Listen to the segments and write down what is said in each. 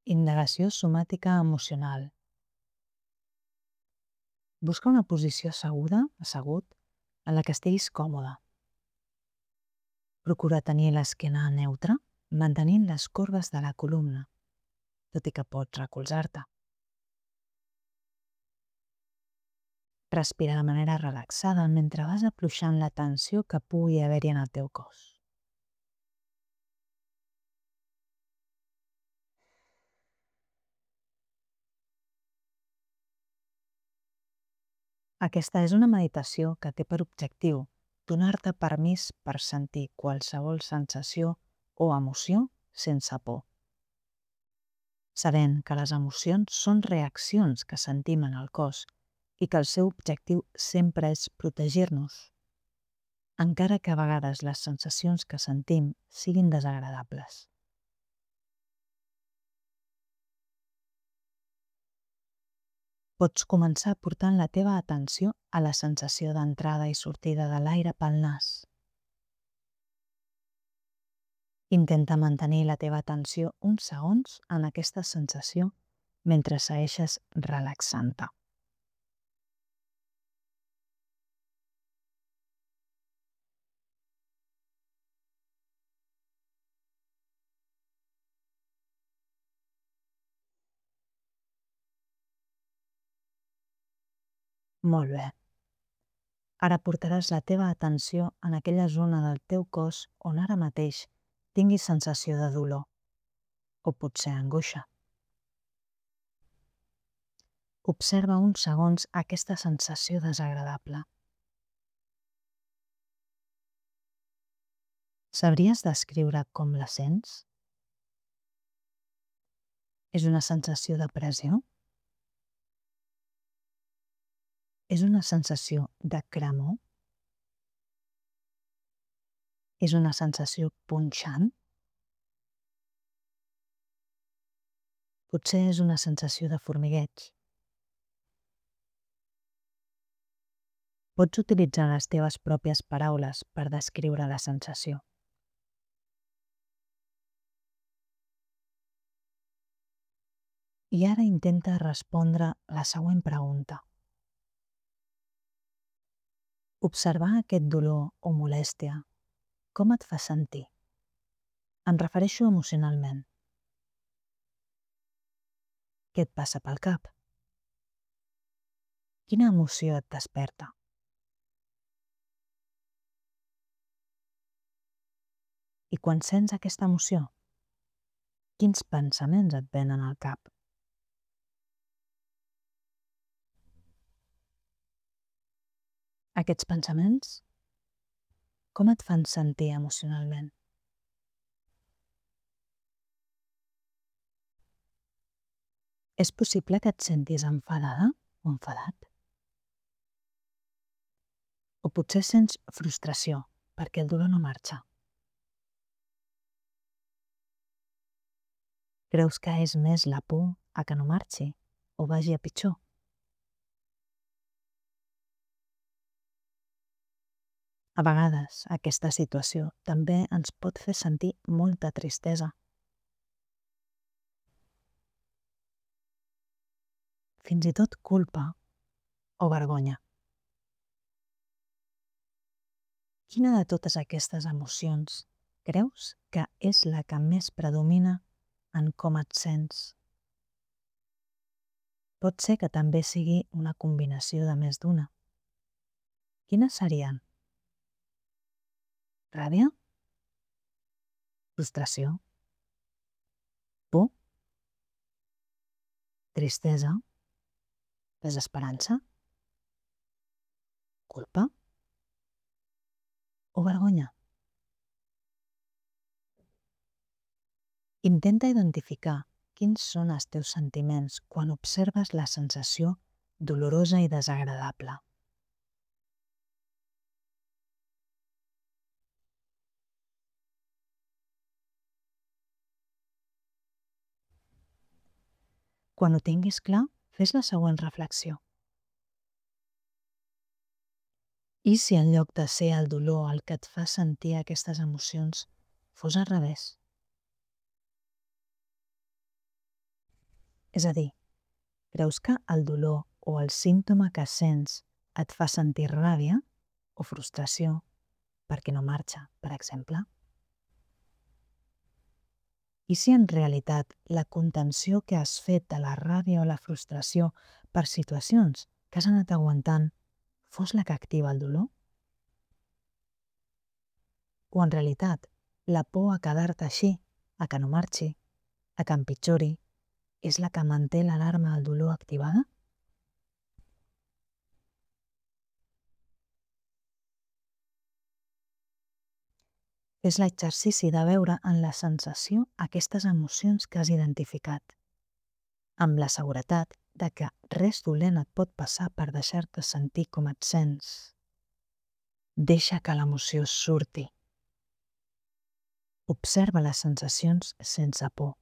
Indagació somàtica emocional. Busca una posició assegut, en la que estiguis còmode. Procura tenir l'esquena neutra, mantenint les corbes de la columna, tot i que pots recolzar-te. Respira de manera relaxada mentre vas afluixant la tensió que pugui haver-hi en el teu cos. Aquesta és una meditació que té per objectiu donar-te permís per sentir qualsevol sensació o emoció sense por. Sabent que les emocions són reaccions que sentim en el cos i que el seu objectiu sempre és protegir-nos, encara que a vegades les sensacions que sentim siguin desagradables. Pots començar portant la teva atenció a la sensació d'entrada i sortida de l'aire pel nas. Intenta mantenir la teva atenció uns segons en aquesta sensació mentre segueixes relaxant-te. Molt bé. Ara portaràs la teva atenció en aquella zona del teu cos on ara mateix tinguis sensació de dolor o potser angoixa. Observa uns segons aquesta sensació desagradable. Sabries descriure com la sents? És una sensació de pressió? És una sensació de cremor? És una sensació punxant? Potser és una sensació de formigueig. Pots utilitzar les teves pròpies paraules per descriure la sensació. I ara intenta respondre la següent pregunta. Observar aquest dolor o molèstia, com et fa sentir? Em refereixo emocionalment. Què et passa pel cap? Quina emoció et desperta? I quan sents aquesta emoció, quins pensaments et venen al cap? Aquests pensaments, com et fan sentir emocionalment? És possible que et sentis enfadada o enfadat? O potser sents frustració perquè el dolor no marxa. Creus que és més la por a que no marxi o vagi a pitjor? A vegades, aquesta situació també ens pot fer sentir molta tristesa. Fins i tot culpa o vergonya. Quina de totes aquestes emocions creus que és la que més predomina en com et sents? Pot ser que també sigui una combinació de més d'una. Quines serien? Ràbia? Frustració? Por? Tristesa? Desesperança? Culpa? O vergonya? Intenta identificar quins són els teus sentiments quan observes la sensació dolorosa i desagradable. Quan ho tinguis clar, fes la següent reflexió. I si en lloc de ser el dolor el que et fa sentir aquestes emocions fos al revés? És a dir, creus que el dolor o el símptoma que sents et fa sentir ràbia o frustració perquè no marxa, per exemple? I si en realitat la contenció que has fet de la ràbia o la frustració per situacions que has anat aguantant fos la que activa el dolor? O en realitat la por a quedar-te així, a que no marxi, a que empitjori, és la que manté l'alarma del dolor activada? És l'exercici de veure en la sensació aquestes emocions que has identificat, amb la seguretat de que res dolent et pot passar per deixar-te sentir com et sents. Deixa que l'emoció surti. Observa les sensacions sense por.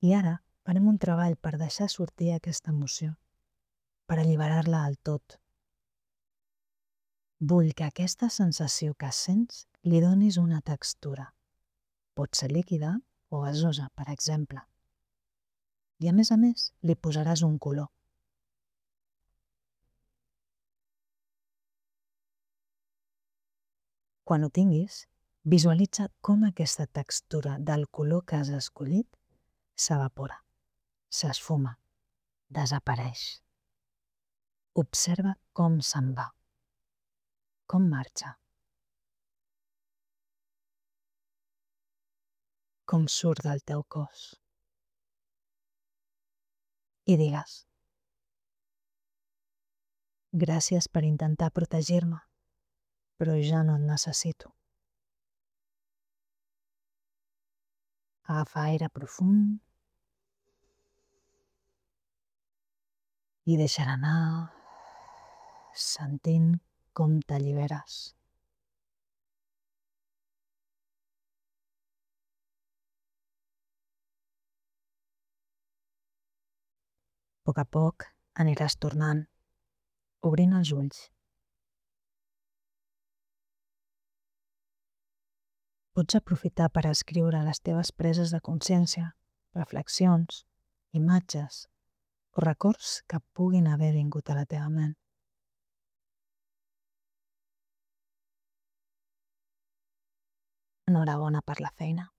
I ara farem un treball per deixar sortir aquesta emoció, per alliberar-la del tot. Vull que aquesta sensació que sents li donis una textura. Pot ser líquida o gasosa, per exemple. I a més, li posaràs un color. Quan ho tinguis, visualitza com aquesta textura del color que has escollit s'evapora, s'esfuma, desapareix. Observa com se'n va, com marxa, com surt del teu cos. I digues: gràcies per intentar protegir-me, però ja no et necessito. Agafa aire profund i deixa-la anar, sentint com t'alliberes. A poc a poc aniràs tornant, obrint els ulls. Pots aprofitar per escriure les teves preses de consciència, reflexions, imatges o records que puguin haver vingut a la teva ment. Enhorabona per la feina.